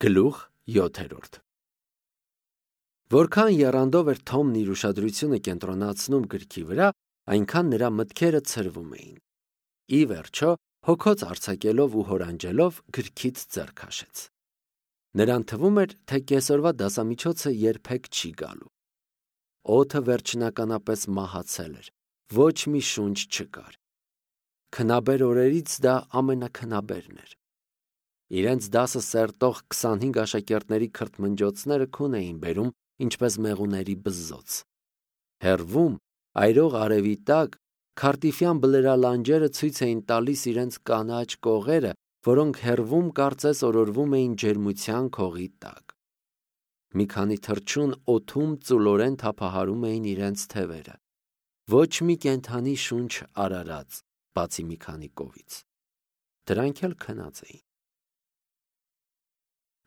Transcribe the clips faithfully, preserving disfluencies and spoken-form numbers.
Գլուխ յոթերորդ Որքան եռանդով էր Թոմն իր ուշադրությունը կենտրոնացնում գրքի վրա, այնքան նրա մտքերը ցրվում էին։ Ի վերջո, հոգոց արձակելով ու հորանջելով գրքից ձեռ քաշեց։ Նրան թվում էր, թե կեսօրվա դասամիջոցը երբեք չի գալու։ Օդը վերջնականապես մահացել էր, ոչ մի շունչ չկար։ Քնաբեր օրերից դա ամենաքնաբերն էր։ Իրենց դասը սերտող քսանհինգ աշակերտների քրթմնջոցները քուն էին բերում, ինչպես մեղուների բզզոց։ Հեռվում, այրող արևի տակ, քարտիֆյան բլրալանջերը ցույց էին տալիս իրենց կանաչ կողերը, որոնք հեռվում կարծես օրորվում էին ջերմության քողի տակ։ Մի քանի թռչուն օդում ծուլորեն թափահարում էին իրենց թևերը։ Ոչ մի կենդանի շունչ արարած, բացի մի քանի կովից։ Դրանք էլ քնած էին։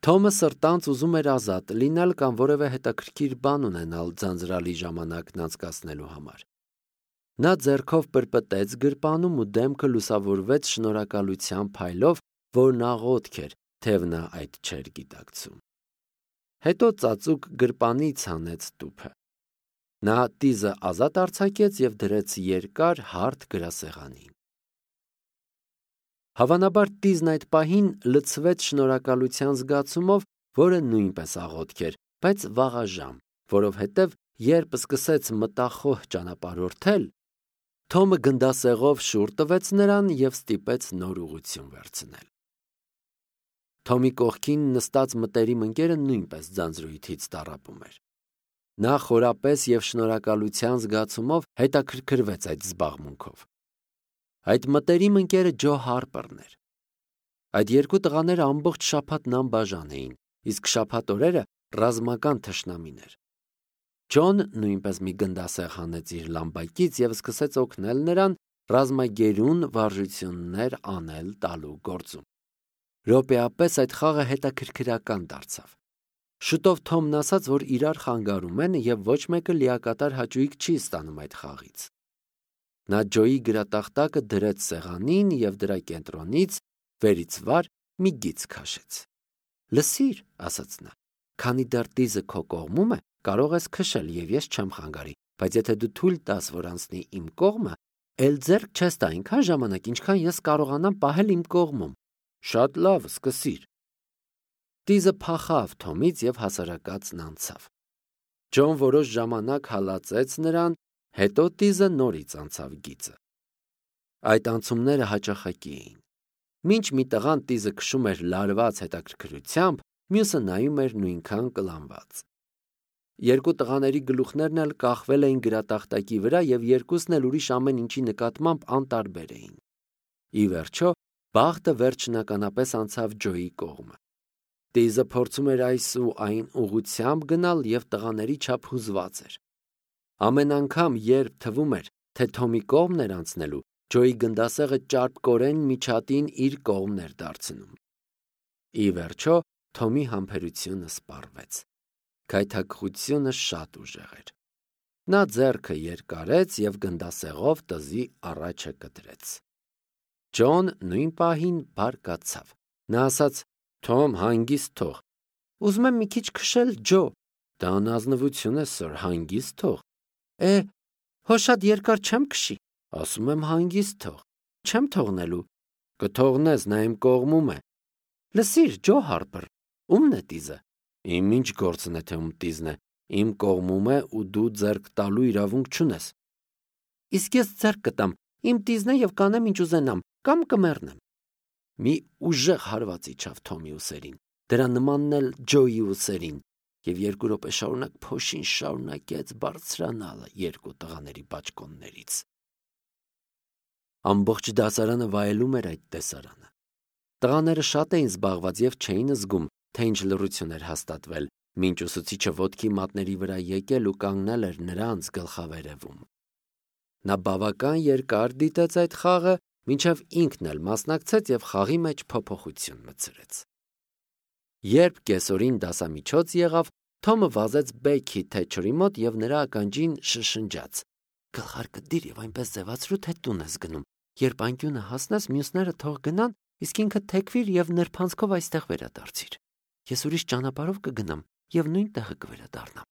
Թոմը սրտանց ուզում էր ազատ լինել կամ որևէ հետաքրքիր բան ունենալ ձանձրալի ժամանակն անցկացնելու համար։ Նա ձեռքով պրպտեց գրպանում ու դեմքը լուսավորվեց շնորհակալության փայլով, որն աղոթք էր, թեև նա այդ չէր գիտակցում։ Հետո ծածուկ գրպանից հանեց տուփը։ Նա տիզը ազատ արձակեց և դրեց երկար հարթ գրասեղանին։ Հավանաբար տիզն այդ պահին լցվեց շնորհակալության զգացումով, որը նույնպես աղոթք էր, բայց վաղաժամ, որովհետև երբ սկսեց մտախոհ ճանապարհորդել, Թոմը գնդասեղով շուռ տվեց նրան և ստիպեց նոր ուղղություն վերցնել։ Թոմի կողքին նստած մտերիմ ընկերը նույնպես ձանձրույթից տառապում էր։ Նա խորապես և շնորհակալության զգացումով հետաքրքրվեց այդ զբաղմունքով։ Այդ մտերիմ ընկերը Ջո Հարպերն էր։ Այդ երկու տղաները ամբողջ շաբաթ նամբաժան էին, իսկ շաբաթ օրերը ռազմական թշնամիներ։ Ջոն նույնպես մի գնդասեղ հանեց իր լամբակից և սկսեց օգնել նրան ռազմագերուն վարժություններ անել տալու գործում։ Րոպեապես այդ խաղը հետաքրքրական դարձավ։ Շուտով Թոմն ասաց, որ իրար խանգարում են և ոչ մեկը լիակատար հաճույք չի ստանում այդ խաղից։ Նա Ջոյի գրատախտակը դրեց սեղանին և դրա կենտրոնից վերից վար մի գիծ քաշեց։ «Լսիր», ասաց նա, «քանի դեռ տիզը քո կողմում է, կարող ես քշել և ես չեմ խանգարի, բայց եթե դու թույլ տաս, որ անցնի իմ կողմը, էլ ձեռք չես տա այնքան ժամանակ, ինչքան ես կարողանամ պահել իմ կողմում։ Շատ լավ, սկսիր»։ Տիզը փախավ Թոմից և հասարակածն անցավ։ Ջոն որոշ ժամանակ հալածեց նրան, հետո տիզը նորից անցավ գիծը։ Այդ անցումները հաճախակի էին։ Մինչ մի տղան տիզը քշում էր լարված հետաքրքրությամբ, մյուսը նայում էր նույնքան կլանված։ Երկու տղաների գլուխներն էլ կախվել էին գրատախտակի վրա և երկուսն էլ ուրիշ ամեն ինչի նկատմամբ անտարբեր էին։ Ի վերջո, բախտը վերջնականապես անցավ Ջոյի կողմը։ Տիզը փորձում էր այս ու այն ուղղությամբ գնալ և տղաների չափ հուզված էր։ Ամեն անգամ, երբ թվում էր, թե Թոմի կողմն էր անցնելու, Ջոյի գնդասեղը ճարպկորեն միջատին իր կողմն էր դարձնում։ Ի վերջո, Թոմի համբերությունը սպառվեց։ Գայթակղությունը շատ ուժեղ էր։ Նա ձեռքը երկարեց և գնդասեղով տզի առաջը կտրեց։ Ջոն նույն պահին բարկացավ։ Նա ասաց. «Թոմ, հանգիստ թող»։ «Ուզում եմ մի քիչ քշել, Ջո»։ «Դա անազնվություն է, սըր, հանգիստ թող»։ «Է, հո շատ երկար չեմ քշի»։ «Ասում եմ հանգիստ թող»։ «Չեմ թողնելու»։ «Կթողնես, նա իմ կողմում է»։ «Լսիր, Ջո Հարպեր, ո՞ւմն է տիզը»։ «Իմ ինչ գործն է, թե ում տիզն է, իմ կողմում է ու դու ձեռք տալու իրավունք չունես»։ «Իսկ ես ձեռք կտամ, իմ տիզն է և կանեմ ինչ ուզենամ, կամ կմեռնեմ»։ Մի ուժեղ հարված իջավ Թոմի ուսերին, դրա նմանն էլ Ջոյի ուսերին, և երկու րոպե շարունակ փոշին շարունակեց բարձրանալը երկու տղաների բաճկոններից։ Ամբողջ դասարանը վայելում էր այդ տեսարանը։ Տղաները շատ էին զբաղված և չէին զգում, թե ինչ լռություն էր հաստատվել, մինչ ուսուցիչը ոտքի մատների վրա եկել ու կանգնել էր նրանց գլխավերևում։ Նա բավական երկար դիտեց այդ խաղը, մինչև ինքն էլ մասնակցեց և խաղի մեջ փոփոխություն մտցրեց։ Երբ կեսօրին դասամիջոց եղավ, Թոմը վազեց Բեքի Թեչերի մոտ և նրա ականջին շշնջաց. «Գլխարկը դիր և այնպես ձևացրու, թե տուն ես գնում։ Երբ անկյունը հասնես, մյուսները թող գնան, իսկ ինքդ թեքվիր և նրբանցքով այստեղ վերադարձիր»։ Ես ուրիշ ճանապարհով կգնամ եւ նույն տեղը կվերադառնամ։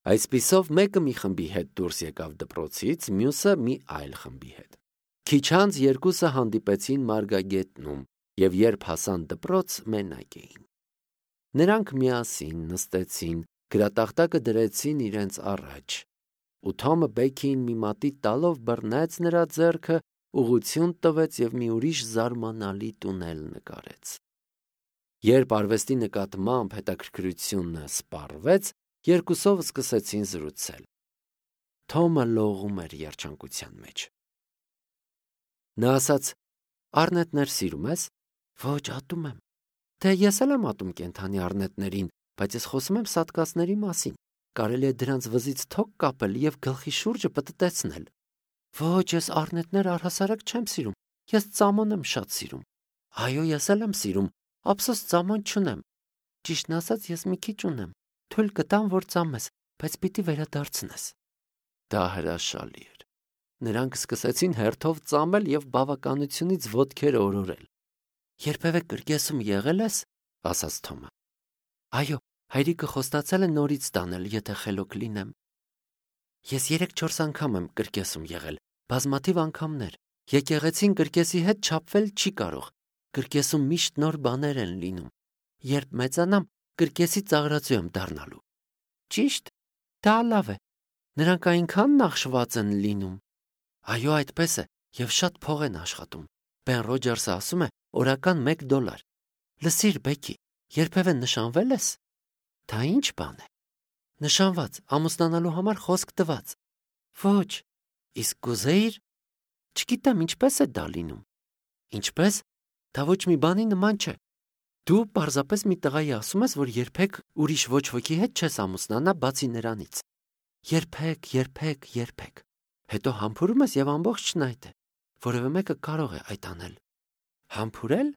Այսպիսով մեկը մի խմբի հետ դուրս եկավ դպրոցից, մյուսը մի այլ խմբի հետ։ Քիչ անց երկուսը հանդիպեցին մարգագետնում եւ երբ հասան դպրոց, մենակ էին։ Նրանք միասին նստեցին, գրատախտակը դրեցին իրենց առաջ։ Ու Թոմը Բեքիին մի մատի տալով բռնեց նրա ձեռքը, ուղղություն տվեց եւ մի ուրիշ զարմանալի տունել նկարեց։ Երբ արվեստի նկատմամբ հետաքրքրությունը սպառվեց, երկուսով սկսեցին զրուցել։ Թոմը լողում էր երջանկության մեջ։ Նա ասաց. «Առնետներ սիրում ես»։ «Ոչ, ատում եմ»։ «Դե ես էլ եմ ատում կենդանի առնետներին, բայց ես խոսում եմ սատկածների մասին։ Կարելի է դրանց վզից թոք կապել եւ գլխի շուրջը պտտեցնել»։ «Ոչ, ես առնետներ առհասարակ չեմ սիրում, ես ծամոն եմ շատ սիրում»։ «Այո, ես էլ եմ սիրում, ափսոս ծամոն չունեմ»։ «Ճիշտն ասած, ես մի քիչ ունեմ, թույլ կտամ, որ ծամես, բայց պիտի վերադարձնես»։ Դա հրաշալի էր։ Նրանք սկսեցին հերթով ծամել եւ բավականությունից ոտքեր օրորել։ «Երբևէ կրկեսում եղել ես»։ ասաց Թոմը։ «Այո, հայրիկը խոստացել է նորից տանել, եթե խելոք լինեմ»։ «Ես երեք-չորս անգամ եմ կրկեսում եղել, բազմաթիվ անգամներ։ Եկեղեցին կրկեսի հետ չափվել չի կարող։ Կրկեսում միշտ նոր բաներ են լինում։ Երբ մեծանամ, կրկեսի ծաղրածու եմ դառնալու»։ «Ճիշտ, դա լավ է։ Նրանք այնքան նախշված են լինում»։ «Այո, այդպես է, եւ շատ փող են աշխատում։ Բեն Ռոջերսը ասում է օրական մեկ դոլար։ Լսիր, Բեքի, երբևէ նշանվե՞լ ես»։ «Դա ինչ բան է»։ «Նշանված, ամուսնանալու համար խոսք տված»։ «Ոչ, իսկ կուզեիր»։ «Չգիտեմ, ինչպես է դա լինում»։ «Ինչպես։ Դա ոչ մի բանի նման չէ։ Դու պարզապես մի տղայի ասում ես, որ երբեք ուրիշ ոչ ոքի հետ չես ամուսնանա, բացի նրանից։ Երբեք, երբեք, երբեք։ Հետո համբուրում ես եւ ամբողջն այդ է։ Որևէ մեկը կարող է այդ անել»։ «Համբուրել։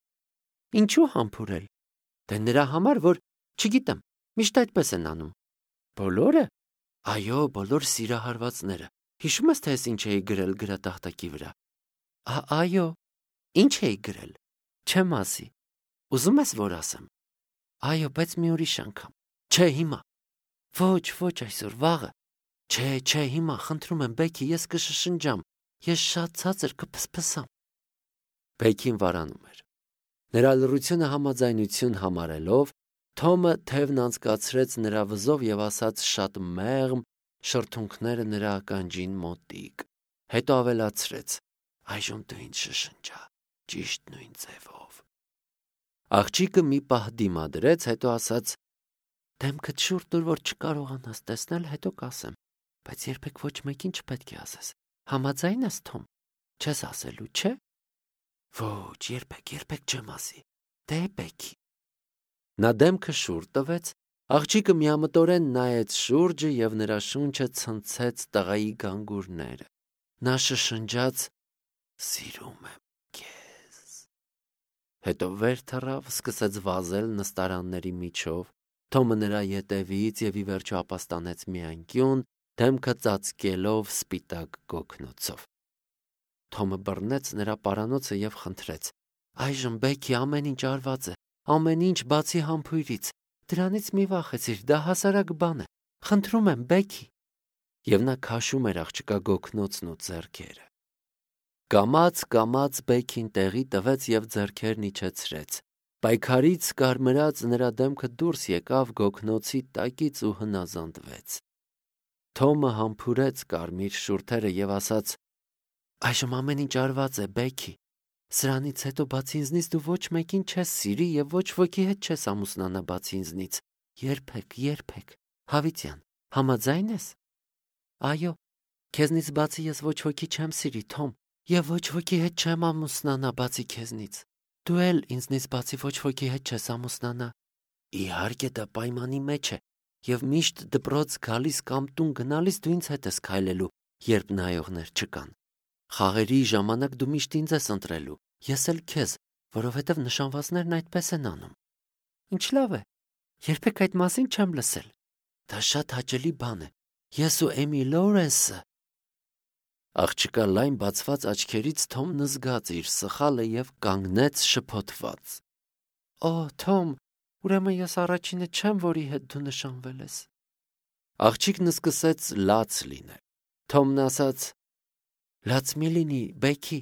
Ինչու համբուրել»։ «Դե նրա համար, որ, չգիտեմ, միշտ այդպես են անում»։ «Բոլորը»։ «Այո, բոլոր սիրահարվածները։ Հիշում ես, թե ես ինչ էի գրել գրատախտակի վրա»։ «Այո»։ «Ինչ էի գրել»։ «Չեմ ասի»։ «Ուզում ես, որ ասեմ»։ «Այո, բայց մի ուրիշ անգամ»։ «Չէ, հիմա»։ «Ոչ, ոչ այսօր, վաղը»։ «Չէ, չէ, հիմա, խնդրում եմ, Բեքի, ես կշշնջամ, ես շատ ցածր կփսփսամ»։ Բեքին վարանում էր։ Նրա լռությունը համաձայնություն համարելով, Թոմը թևն անցկացրեց նրա վզով եւ ասաց շատ մեղմ, շրթունքները նրա ականջին մոտիկ։ Հետո ավելացրեց. «Այժմ դու ինձ շշնջա, ճիշտ նույն ձևով»։ Աղջիկը մի պահ դիմադրեց, հետո ասաց. «Դեմքդ շուռ տուր, որ չկարողանաս տեսնել, հետո կասեմ, բայց երբեք ոչ մեկին չպետք է ասես։ Համաձայն ես, Թոմ։ Չես ասելու, չէ՞։ Ոչ, երբեք, երբեք չեմ ասի։ Դե Բեքի»։ Նա դեմքը շուռ տվեց, աղջիկը միամտորեն նայեց շուրջը եւ նրա շունչը ցնցեց տղայի գանգուրները։ Նա շշնջաց. «Սիրում եմ քեզ»։ Հետո վեր թռավ, սկսեց վազել նստարանների միջով։ Թոմը նրա ետևից եւ ի վերջո ապաստանեց մի անկյուն, դեմքը ծածկելով սպիտակ գոգնոցով։ Թոմը բռնեց նրա պարանոցը եւ խնդրեց. «Այժմ Բեքի ամեն ինչ արված է, ամեն ինչ բացի համբույրից։ Դրանից մի վախեցիր, դա հասարակ բան է։ Խնդրում եմ, Բեքի»։ Եվ նա քաշում էր աղջկա գոգնոցն ու ձեռքերը։ Կամաց-կամաց Բեքին տեղի տվեց եւ ձեռքերն իջեցրեց։ Պայքարից կարմրած նրա դեմքը դուրս եկավ գոգնոցի տակից ու հնազանդվեց։ Թոմը համբուրեց կարմիր շուրթերը եւ ասաց. «Այժմ ամեն ինչ արված է, Բեքի։ Սրանից հետո բացի ինձնից դու ոչ մեկին չես սիրի եւ ոչ ոքի հետ չես ամուսնանա բացի ինձնից։ Երբեք, երբեք։ Հավիտյան, համաձայն ես»։ «Այո, քեզնից բացի ես ոչ ոքի չեմ սիրի, Թոմ, եւ ոչ ոքի հետ չեմ ամուսնանա բացի քեզնից։ Դու էլ ինձնից բացի ոչ ոքի հետ չես ամուսնանա»։ «Իհարկե, դա պայմանի մեջ է, եւ միշտ դպրոց գալիս կամ տուն գնալիս դու ինձ հետ ես քայլելու, երբ նայողներ չկան։ Խաղերի ժամանակ դու միշտ ինձ ես ընտրելու, ես էլ քեզ, որովհետեւ նշանվածներն այդպես են անում»։ «Ինչ լավ է։ Երբեք այդ մասին չեմ լսել։ Դա շատ հաճելի բան է։ Ես ու Էմի Լորենսը»։ Աղջկա լայն բացված աչքերից Թոմն զգաց իր սխալը եւ կանգնեց շփոթված։ «Օ, Թոմ, Ուրեմն ես առաջինը չեմ, որի հետ դու նշանվել ես։ Աղջիկն սկսեց լաց լինել։ Թոմն ասաց. Լաց մի լինի, Բեքի,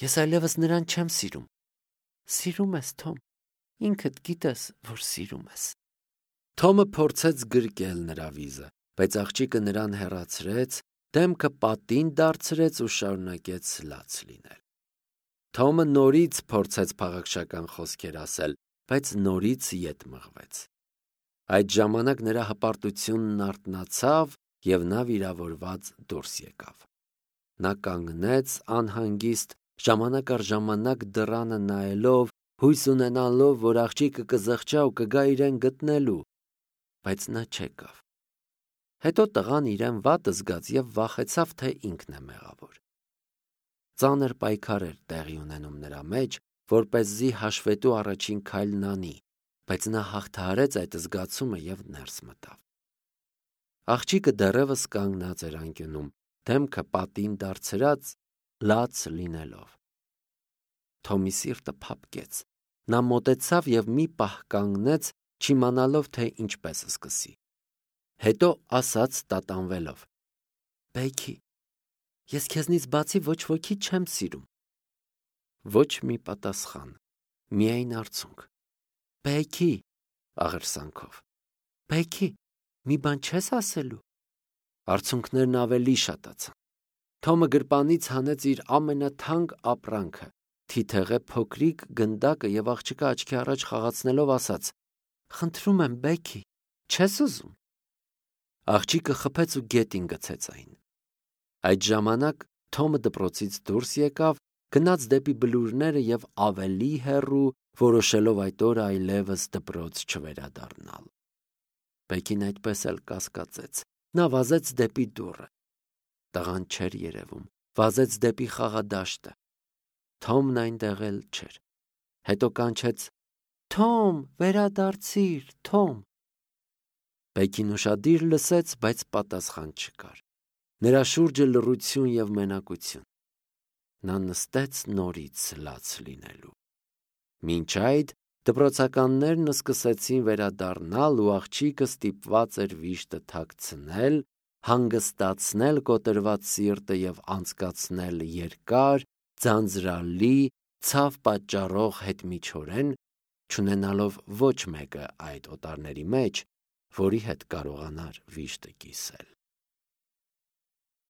ես այլևս նրան չեմ սիրում։ Սիրում ես, Թոմ, ինքդ գիտես, որ սիրում ես։ Թոմը փորձեց գրկել նրա վիզը, բայց աղջիկը նրան հեռացրեց, դեմքը պատին դարձրեց ու շարունակեց լաց լինել։ Թոմը նորից փորձեց փաղաքշական խոսքեր ասել, բայց նորից ետ մղվեց։ Այդ ժամանակ նրա հպարտությունն արթնացավ և նա վիրավորված դուրս եկավ։ Նա կանգնեց անհանգիստ, ժամանակ առ ժամանակ դռանը նայելով, հույս ունենալով, որ աղջիկը կզղջա ու կգա իրեն գտնելու, բայց նա չեկավ։ Հետո տղան իրեն վատ զգաց և վախեցավ, թե ինքն է մեղավոր։ Ծանր պայքար էր տեղի ունենում նրա մեջ, որպեսզի հաշվետու առաջին քայլն անի, բայց նա հաղթահարեց այդ զգացումը և ներս մտավ։ Աղջիկը դեռևս կանգնած էր անկյունում, դեմքը պատին դարձրած, լաց լինելով։ Թոմի սիրտը փափկեց։ Նա մոտեցավ և մի պահ կանգնեց, չիմանալով, թե ինչպես սկսի։ Հետո ասաց տատանվելով. Բեքի, ես քեզնից բացի ոչ ոքի չեմ սիրում։ Ոչ մի պատասխան, միայն արցունք։ Բեքի, աղերսանքով։ Բեքի, մի բան չես ասելու։ Արցունքներն ավելի շատացան։ Թոմը գրպանից հանեց իր ամենաթանկ ապրանքը, թիթեղե փոքրիկ գնդակը և աղջկա աչքի առաջ խաղացնելով ասաց. Խնդրում եմ, Բեքի, չես ուզում։ Աղջիկը խփեց ու գետին գցեց այն։ Այդ ժամանակ Թոմը դպրոցից դուրս եկավ, գնաց դեպի բլուրները և ավելի հեռու, որոշելով այդ օրը այլևս դպրոց չվերադառնալ։ Բեկին այդպես էլ կասկածեց։ Նա վազեց դեպի դուռը։ Տղան չէր երևում, վազեց դեպի խաղադաշտը։ Թոմն այնտեղ էլ չէր։ Հետո կանչեց. Թոմ, վերադարձիր, Թոմ։ Բեկին ուշադիր լսեց, բայց պատասխան չկար։ Նրա շուրջը լռություն և մենակություն։ Նա նստեց նորից լաց լինելու։ Մինչ այդ դպրոցականներն սկսեցին վերադառնալ ու աղջիկը ստիպված էր վիշտը թաքցնել, հանգստացնել կոտրված սիրտը և անցկացնել երկար, ձանձրալի, ցավ պատճառող հետմիջորեն, չունենալով ոչ մեկը այդ օտարների մեջ, որի հետ կարողանար վիշտը կիսել։